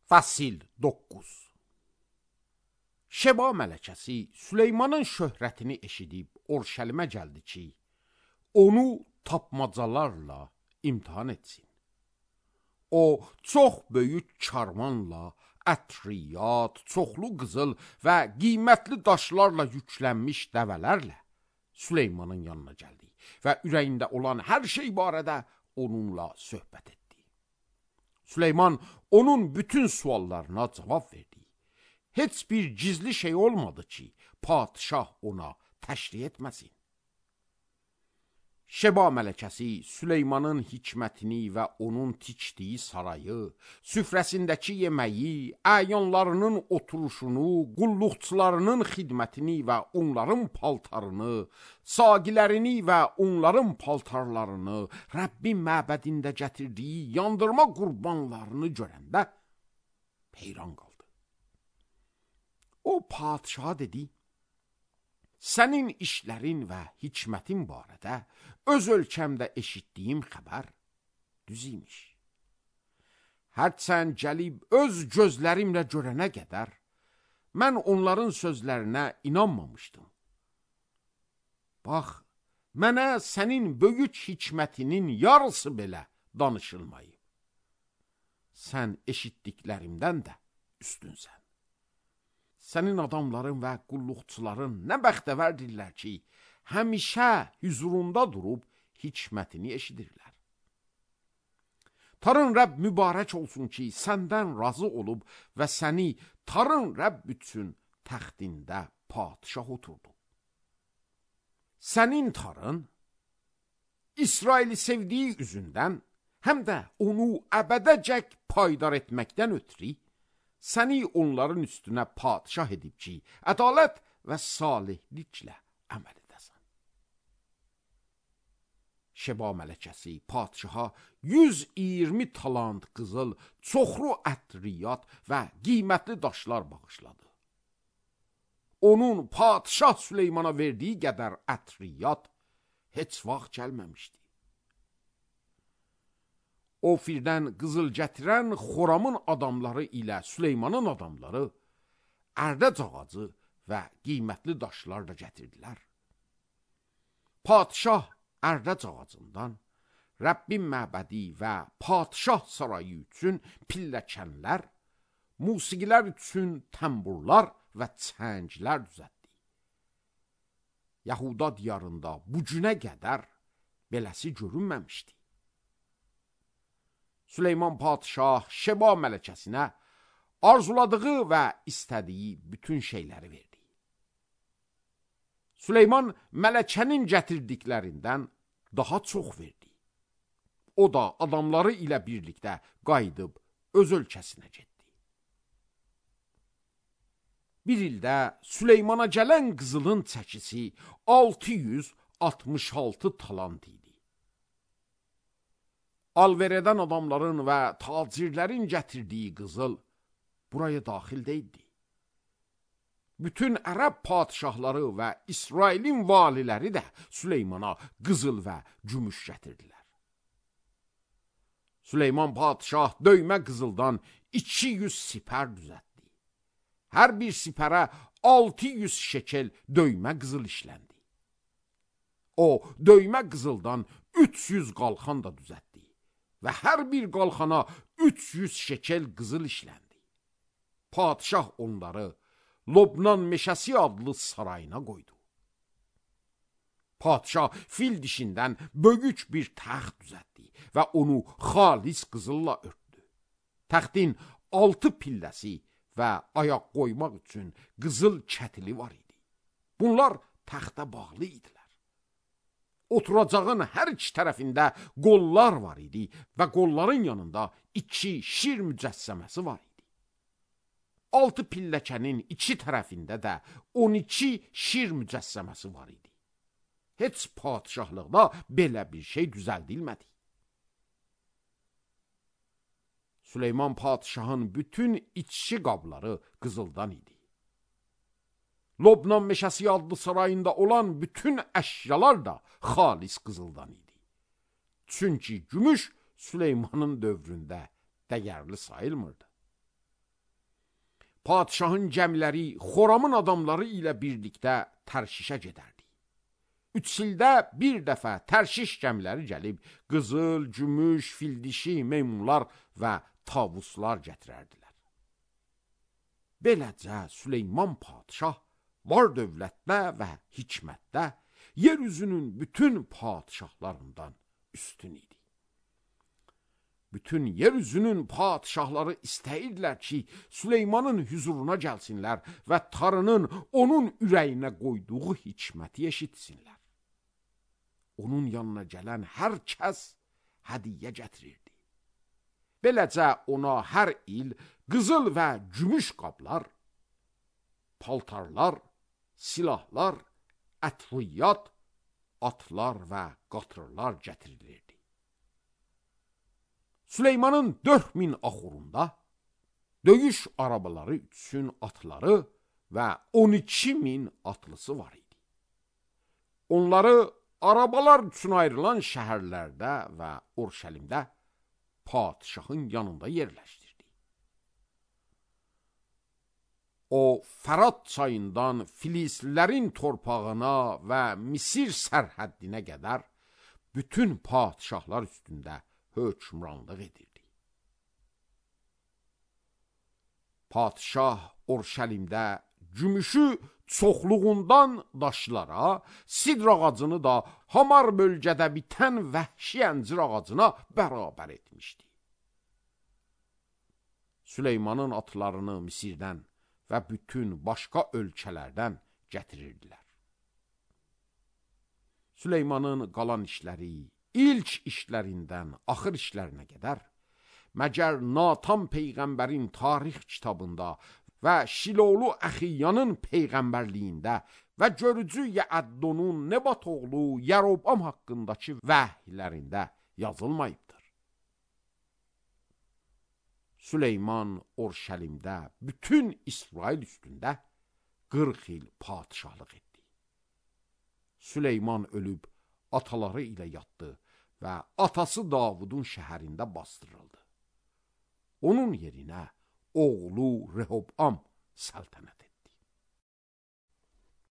Fəsil 9. Şeba mələkəsi Süleymanın şöhrətini eşidib Orşəlimə gəldi ki, onu tapmacalarla imtihan etsin. O, çox böyük karvanla, ətriyat, çoxlu qızıl və qiymətli daşlarla yüklənmiş dəvələrlə Süleymanın yanına gəldi və ürəyində olan hər şey barədə onunla söhbət etdi. Süleyman onun bütün suallarına cavab verdi. Heç bir gizli şey olmadı ki, padişah ona təşrih etməsin. Şeba mələkəsi Süleymanın hikmətini və onun tikdiyi sarayı, süfrəsindəki yeməyi, əyanlarının oturuşunu, qulluqçularının xidmətini və onların paltarını, saqilərini və onların paltarlarını, Rəbbin məbədində gətirdiyi yandırma qurbanlarını görəndə heyran qaldı. O padişaha dedi, sənin işlərin və hikmətin barədə öz ölkəmdə eşitdiyim xəbər düz imiş. Hərçənd gəlib öz gözlərimlə görənə qədər, mən onların sözlərinə inanmamışdım. Bax, mənə sənin böyük hikmətinin yarısı belə danışılmayıb. Sən eşitdiklərimdən də üstünsən. Sənin adamların və qulluqçuların nə bəxtəvərdirlər ki, həmişə hüzurunda durub hikmətini eşidirlər. Tarın Rəbb mübarək olsun ki, səndən razı olub və səni Tarın Rəbb üçün təxtində padişah oturdu. Sənin Tarın, İsraili sevdiyi üzündən, həm də onu əbədəcək paydar etməkdən ötürü, səni onların üstünə padişah edib ki, ədalət və salihliklə əməl edəsən. Şeba mələkəsi padişaha 120 talant qızıl, çoxlu ətriyat və qiymətli daşlar bağışladı. Onun padişah Süleymana verdiyi qədər ətriyat heç vaxt gəlməmişdi. Ofirdən qızıl gətirən Xoramın adamları ilə Süleymanın adamları ərdəc ağacı və qiymətli daşlar da gətirdilər. Padişah ərdəc ağacından Rəbbin məbədi və padişah sarayı üçün pilləkənlər, musiqilər üçün təmburlar və çənglər düzəltdi. Yahuda diyarında bu günə qədər beləsi görünməmişdi. Süleyman padişah Şeba mələkəsinə arzuladığı və istədiyi bütün şeyləri verdi. Süleyman mələkənin gətirdiklərindən daha çox verdi. O da adamları ilə birlikdə qayıdıb öz ölkəsinə getdi. Bir ildə Süleymana gələn qızılın çəkisi 666 talant idi. Alver edən adamların və tacirlərin gətirdiyi qızıl buraya daxil deyildi. Bütün ərəb padişahları və İsrailin valiləri də Süleymana qızıl və gümüş gətirdilər. Süleyman padişah döymə qızıldan 200 sipər düzəltdi. Hər bir sipərə 600 şekel döymə qızıl işləndi. O, döymə qızıldan 300 qalxan da düzəltdi və hər bir qalxana 300 şekel qızıl işləndi. Padişah onları Lobnan meşəsi adlı sarayına qoydu. Padişah fil dişindən böyük bir təxt düzəltdi və onu xalis qızılla örtdü. Təxtin 6 pilləsi və ayaq qoymaq üçün qızıl kətili var idi. Bunlar təxtə bağlı idilər. Oturacağın hər iki tərəfində qollar var idi və qolların yanında 2 şir mücəssəməsi var idi. 6 pilləkənin 2 tərəfində də 12 şir mücəssəməsi var idi. Heç padişahlıqda belə bir şey düzəldilmədi. Süleyman padişahın bütün içki qabları qızıldan idi. Lobnan meşəsi adlı sarayında olan bütün əşyalar da xalis qızıldan idi. Çünki gümüş Süleymanın dövründə dəyərli sayılmırdı. padişahın gəmiləri Xoramın adamları ilə birlikdə Tərşişə gedərdi. 3 ildə bir dəfə Tərşiş gəmiləri gəlib, qızıl, gümüş, fildişi, meymunlar və tavuslar gətirərdilər. Beləcə Süleyman padişah var dövlətdə və hikmətdə yer üzünün bütün padişahlarından üstün idi. Bütün yer üzünün padişahları istəyirdilər ki, Süleymanın huzuruna gəlsinlər və Tanrının onun ürəyinə qoyduğu hikməti eşitsinlər. Onun yanına gələn hər kəs hədiyyə gətirirdi. Beləcə ona hər il qızıl və gümüş qablar, paltarlar, silahlar, ətviyyat, atlar və qatırlar gətirilirdi. Süleymanın 4000 axurunda döyüş arabaları üçün atları və 12.000 atlısı var idi. Onları arabalar üçün ayrılan şəhərlərdə və Urşəlimdə padişahın yanında yerləşdirdi. O, Fərat çayından Filislilərin torpağına və Misir sərhəddinə qədər bütün padişahlar üstündə hökmranlıq edirdi. Padişah Urşəlimdə gümüşü çoxluğundan daşlara, sidr ağacını da hamar bölgədə bitən vəhşi əncir ağacına bərabər etmişdi. Süleymanın atlarını Misirdən və bütün başqa ölkələrdən gətirirdilər. Süleymanın qalan işləri, ilk işlərindən axır işlərinə qədər, məgər Natan peyğəmbərin tarix kitabında və Şilolu Əxiyyanın peyğəmbərliyində və görücü Yəəddonun Nebat oğlu Yərobam haqqındakı vəhiylərində yazılmayıbdır. Süleyman Urşəlimdə bütün İsrail üstündə 40 il padişahlıq etdi. Süleyman ölüb ataları ilə yatdı və atası Davudun şəhərində bastırıldı. Onun yerinə oğlu Rehobam səltənət etdi.